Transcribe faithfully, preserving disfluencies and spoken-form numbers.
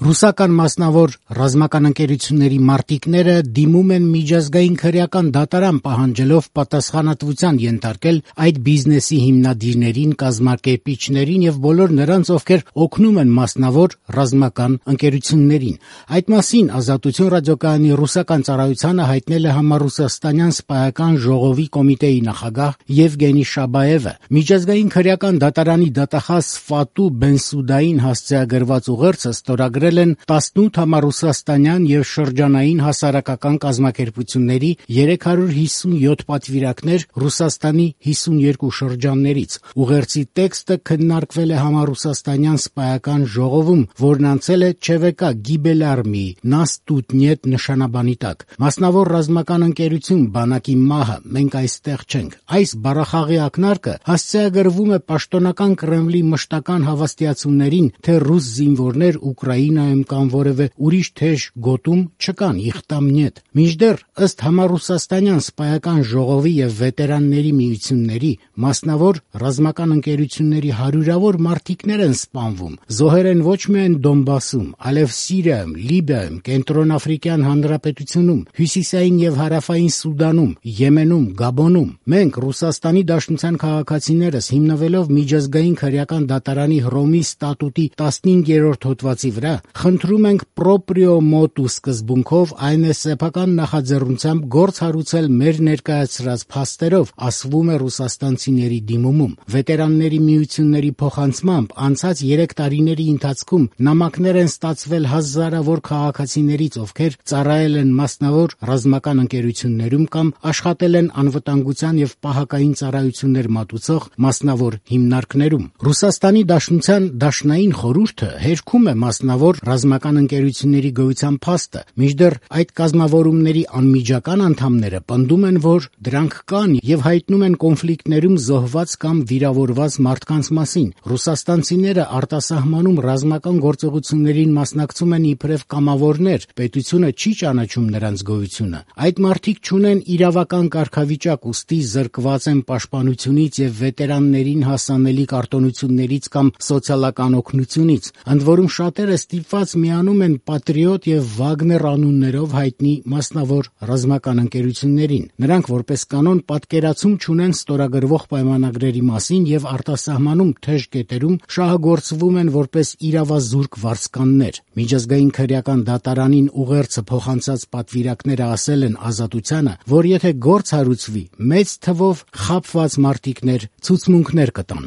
Ռուսական մասնավոր ռազմական ընկերությունների մարտիկները դիմում են միջազգային քրեական դատարան պահանջելով պատասխանատվության ենթարկել այդ բիզնեսի հիմնադիրներին, կազմակերպիչներին եւ բոլոր նրանց, ովքեր օգնում են մասնավոր ռազմական ընկերություններին։ Այդ մասին Ազատություն ռադիոկայանի ռուսական ծառայությանը հայտնել է համառուսաստանյան սպայական ժողովի կոմիտեի նախագահ Եվգենի Շաբաևը։ Միջազգային քրեական դատարանի դատախազ Ֆատու Բենսուդային հասցեագրված ուղերձը ստորագրել են տասնութ համառուսաստանյան եւ շրջանային հասարակական կազմակերպությունների երեք հարյուր հիսունյոթ պատվիրակներ Ռուսաստանի հիսունյոթ շրջաններից։ Ուղերձի տեքստը քննարկվել է համառուսաստանյան սպայական ժողովում, որն անցել է ՉՎԿ Գիբելարմի Նաստուտնետ նշանաբանի տակ։ Մասնավոր ռազմական ընկերություն բանակի մահը մենք այստեղ չենք։ Այս բառախաղի ակնարկը հասցեագրվում է պաշտոնական Կրեմլի մշտական հավաստիացումներին, թե ռուս զինվորներ Ուկրաինայում կամ որևէ ուրիշ թեժ գոտում չկան, իխտամ նետ։ Մինչդեռ ըստ համառուսաստանյան սպայական ժողովի եւ վետերանների միությունների մասնավոր ռազմական ընկերությունների հարյուրավոր մարտիկներ են սպանվում։ Զոհեր են ոչ միայն Դոնբասում, այլև Սիրիայում, Լիբիայում, Կենտրոնաֆրիկյան Հանրապետությունում, Հյուսիսային եւ Հարավային Սուդանում, Եմենում, Գաբոնում։ Մենք Ռուսաստանի Դաշնության քաղաքացիներս հիմնվելով միջազգային քրեական դատարանի Հռոմի ստատուտի տասնհինգերորդ հոդվածի վրա խնդրում ենք պրոպրիո մոտու սկզբունքով, այն է սեփական նախաձեռնությամբ գործ հարուցել մեր ներկայացրած փաստերով, ասվում է ռուսաստանցիների դիմումում։ Վետերանների միությունների փոխանցմամբ անցած երեք տարիների ընթացքում նամակներ են ստացվել հազարավոր քաղաքացիներից, ովքեր ծառայել են մասնավոր ռազմական ընկերություններում կամ աշխատել են անվտանգության եւ պահակային ծառայություններ մատուցող մասնավոր հիմնարկներում։ Ռուսաստանի Դաշնության Դաշնային խորհուրդը հերքում է մասնավոր ռազմական ընկերությունների գոյության փաստը, մինչդեռ այդ կազմավորումների անմիջական անդամները պնդում են, որ դրանք կան եւ հայտնում են կոնֆլիկտներում զոհված կամ վիրավորված մարդկանց մասին։ Ռուսաստանցիները արտասահմանում ռազմական գործողություններին մասնակցում են իբրև կամավորներ, պետությունը չի ճանաչում նրանց գոյությունը։ Այդ մարդիկ չունեն իրավական կարգավիճակ, ուստի զրկված են պաշտպանությունից եւ վետերաններին հասանելի կարտոնություններից կամ սոցիալական օգնությունից։ Ընդ որում շատերը ստիպված միանում են Պատրիոտ եւ Վագներ անուններով հայտնի մասնավոր ռազմական ընկերություններին։ Նրանք որպես կանոն պատկերացում չունեն ստորագրվող պայմանագրերի մասին եւ արտասահմանում թեժ կետերում շահագործվում են որպես իրավազուրկ վարձկաններ։ Միջազգային քրեական դատարանին ուղերձը փոխանցած պատվիրակները ասել են Ազատությանը, որ եթե գործ հարուցվի, մեծ թվով խաբված մարտիկներ ցուցմունքներ կտան։